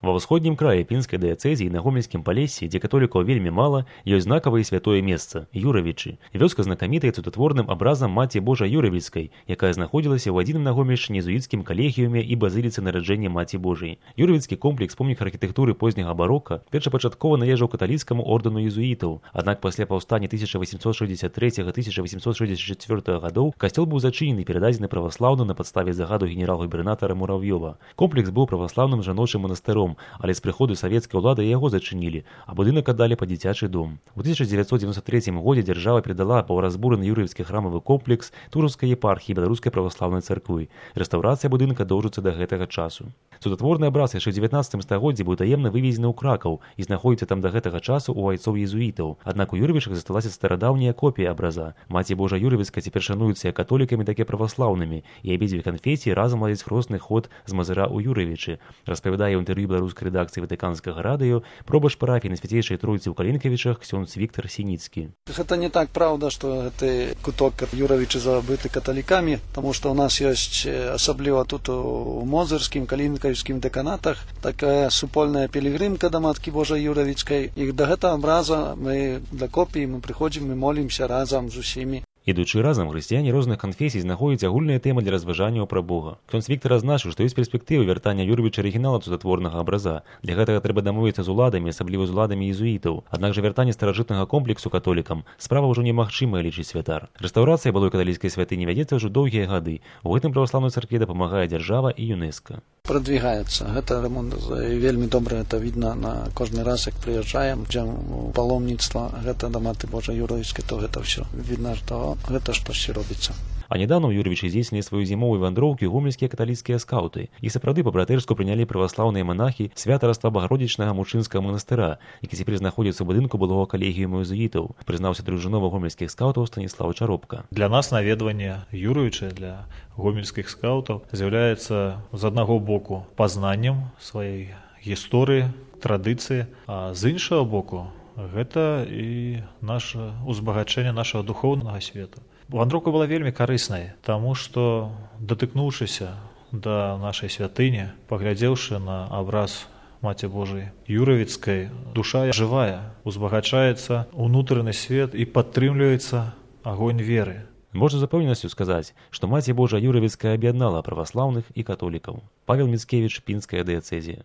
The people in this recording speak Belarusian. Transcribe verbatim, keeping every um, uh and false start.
Ва ўсходнім краі пінскай дыяцэзіі на гомельскім палессі, дзе католікаў вельмі мала, ёсць знакавае святое месца Юравічы. Вёска знакамітая цудатворным абразам Маці Божай Юравіцкай, якая знаходзілася ў адзіным на Гомельшчыне езуіцкім калегіуме і базіліцы нараджэння Маці Божай. Юравіцкі комплекс помнік архітэктуры позняга барока першапачаткова належаў каталіцкаму ордэну езуітаў, аднак пасля паўстання тысяча васемсот шэсцьдзесят трэцяга — тысяча васемсот шэсцьдзесят чацвёртага гадоў касцёл быў зачынены і перададзены праваслаўным на падставе загаду генерал-губернатара Мурав'ёва. Комплекс быў праваслаўным жаночым манастыром, але з прыходу савецкай улады яго зачынілі, а будынак аддалі пад дзіцячы дом. У тысяча дзевяцьсот дзевяносто трэцім годзе дзяржава перадала паўразбураны юрыўскі храмавы комплекс Тураўскай епархіі Беларускай праваслаўнай царквы. Рэстаўрацыя будынка доўжыцца да гэтага часу. Цудатворны абраз яшчэ ў дзевятнаццатым стагоддзі быў таемна вывезены ў Кракаў і знаходзіцца там да гэтага часу ў айцоў езуітаў. Аднак у Юравічах засталася старадаўняя копія абраза. Маці Божа Юравіцкая цяпер шануецца як католікамі, так і праваслаўнымі, і абедзве канфесіі разам ладзяць хросны ход з Мазыра ў Юравічы, распавядае ў інтэрв'ю беларускай рэдакцыі Ватыканскага радыё пробач парафіі на Свяцейшай Тройцы ў Калінкавічах ксёндз Віктар Сініцкі. Гэта не так праўда, што гэты куток Юравічы забыты каталікамі, таму што ў нас ёсць, асабліва тут у Мозырскім, Калінкавічскім дэканатах, такая супольная пілігрымка да Маткі Божай Юравіцкай. І да гэтага абраза мы для копіі мы прыходзім, мы молімся разам з усімі. Ідучы разам, хрысціяне розных канфесій знаходзяць агульная тэма для разважанняў пра Бога. Ксёндз Віктар азначыў, што ёсць перспектывы вяртання Юравіча арыгінала цудатворнага абраза. Для гэтага трэба дамовіцца з уладамі, асабліва з уладамі езуітаў. Аднак жа вяртанне старажытнага комплексу католікам справа ўжо немагчымая, лічыць святар. Рэстаўрацыя былой каталіцкай святыні вядзецца ўжо доўгія гады. У гэтым праваслаўнай царкве дапамагае дзяржава і ЮНЕСКА. Прадвігаецца. Гэта ремонт вельмі добра, это видно на кожны раз, як прыязджаем, ідзем у паломніцтва, гэта да Маці Божай Юравіцкай, то гэта ўсё видно, што гэта штосьці робіцца. А нядаўна ў Юравічы здзейснілі сваю зімовую вандроўку гомельскія каталіцкія скаўты. І сапраўды па-братэрску прынялі праваслаўныя манахі святарства Багародзічнага мужчынскага манастыра, які цяпер знаходзіцца ў будынку былога калегіуму езуітаў, прызнаўся дружынова гомельскіх скаўтаў Станіслаў Чаропка. Для нас наведванне Юравіча, для гомельскіх скаўтаў, з'яўляецца з аднаго боку пазнаннем сваёй гісторыі, традыцыі, а з іншага боку гэта і наша узбагачэнне нашага духоўнага свету. Вандроўка была вельмі карыснай, таму што, датыкнуўшыся да нашай святыні, паглядзеўшы на абраз Маці Божай Юравіцкай, душа жывая, узбагачаецца ўнутраны свет і падтрымліваецца агонь веры. Можна з запэўненасцю сказаць, што Маці Божа Юравіцкая аб'яднала праваслаўных і католікаў. Павел Міцкевіч, пінская дыяцэзія.